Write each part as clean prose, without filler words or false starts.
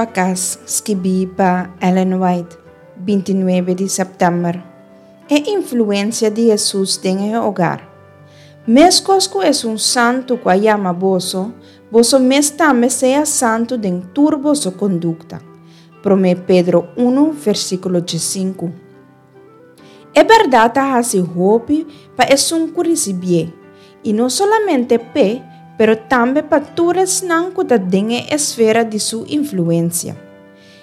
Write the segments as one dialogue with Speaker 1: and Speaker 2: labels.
Speaker 1: pa Kas, skibí pa Ellen White, 29 di sèptèmber. E influensia di Hesus den e hogar. Meskos ku Esun Santu ku a yama boso, boso mes tambe sea santu den tur boso kondukta. Promé Pedro unu, versíkulo diesinku. E bèrdat ta hasi hopi pa esun ku risibié, i no solamente p'e, pero tambe pa tur esnan ku ta den e esfera di su influensia.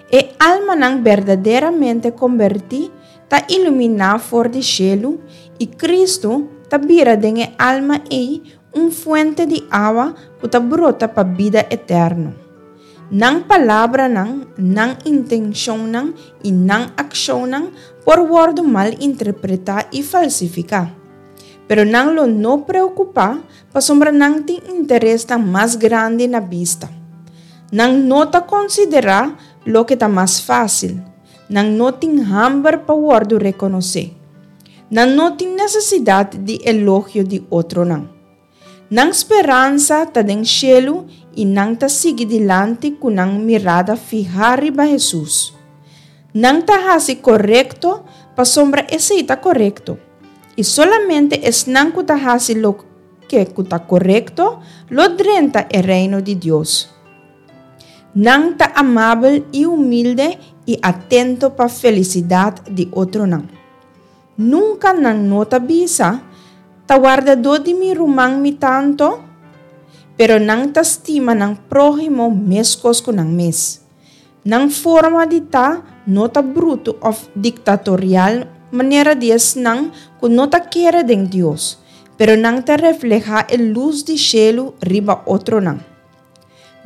Speaker 1: E almanan berdaderamente kombertí ta iluminá for di shelu, i Kristu ta bira den e alma ei un fuente di awa ku ta brota pa bida eterno. Nan palabranan, nan intenshonnan i nan akshonnan por wòrdu mal interpretá i falsifiká. Pero nan lo no preokupá pasobra nan tin interesnan mas grandi na bista. Nan no ta konsiderá loke ta mas fásil. Nan no tin hamber pa wòrdu rekonosé. Nan no tin nesesidat di elogio di otronan. Nan speransa ta den shelu i nan ta sigui dilanti ku nan mirada fihá riba Hesus. Nan ta hasi korekto pasobra esei ta korekto, i solamente esnan ku ta hasi loke ku ta korekto lo drenta e Reino di Dios. Nan ta amabel i humilde i atento pa felisidat di otronan. Nunka nan no ta bisa, Ta wardadó di mi ruman mi ta anto? Pero nan ta stima nan próhimo meskos ku nan mes. Nan forma di ta no ta brutu òf diktatorial manera di esnan ku no ta kere den Dios, pero nan ta reflehá e lus di shelu riba otronan.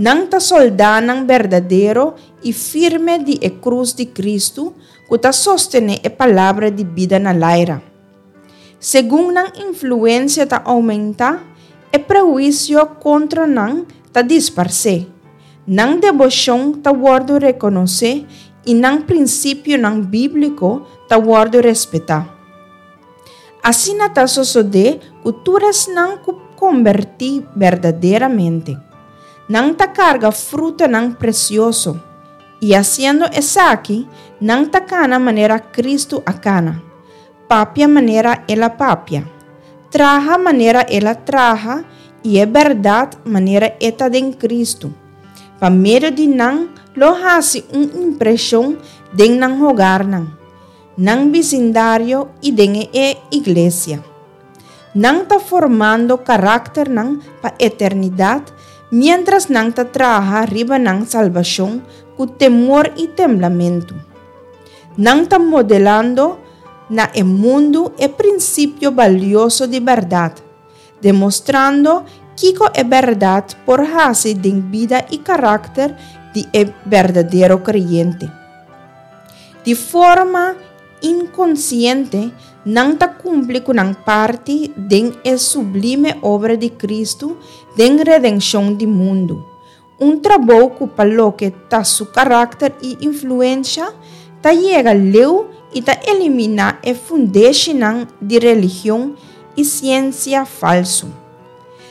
Speaker 1: Nan ta sòldánan berdadero i firme di e krus di Kristu ku ta sostené e palabra di bida na laira. Segun nan influensia ta oumentá, e prehuisio kontra nan ta disparsé, nan deboshon ta wòrdu rekonosé i nan prinsipionan bíbliko ta wòrdu respetá. Asina ta sosodé ku tur esnan ku kombertí berdaderamente. Nan ta karga frutanan presioso, i hasiendo esaki, nan ta kana manera Kristu a kana, papia manera El a papia, traha manera El a traha i e bèrdat manera e ta den Kristu. Pa medio di nan lo hasi un impreshon den nan hogarnan. Nan bisindario i den e iglesia. Nan ta formando karakternan pa eternidat miéntras nan ta traha riba nan salbashon ku temor i temblamentu. Nan ta modelando na e mundu e prinsipio balioso di bèrdat, demostrando kiko e bèrdat por hasi den bida i karakter di e berdadero kreyente. Di forma inkonsiente, nan ta kumpli ku nan parti den e sublime obra di Kristu den redenshon di mundu, un trabou ku pa loke ta su karakter i influensha, ta yega leu i ta eliminá e fundeshinan di religion i siensia falsu.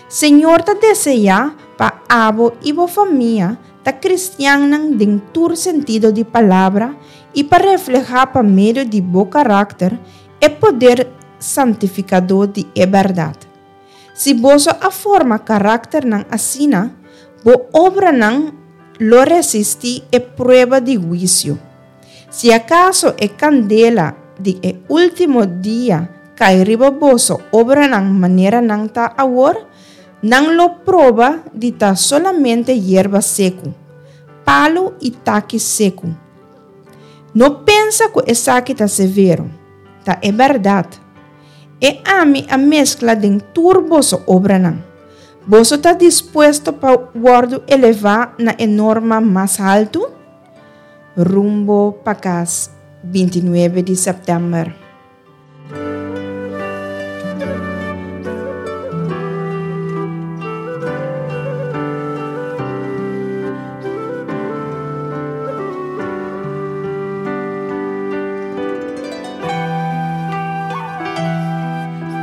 Speaker 1: Señor ta deseá pa abo i bo famia ta kristiannan den tur sentido di palabra i pa reflehá pa medio di bo karakter e poder santifikadó di e bèrdat. Si boso a forma karakternan asina, bo obranan lo resistí e prueba di huisio. Si akaso e kandela di e último dia kai riba boso obranan manera nan ta awor, nan lo proba di ta solamente yerba seku, palu i taki seku. No pensa ku esaki ta severo, ta e bèrdat. E ami a meskla den tur boso obranan. Boso ta dispuesto pa wòrdu elevá na e norma mas haltu? Rumbo pa kas, 29 di sèptèmber.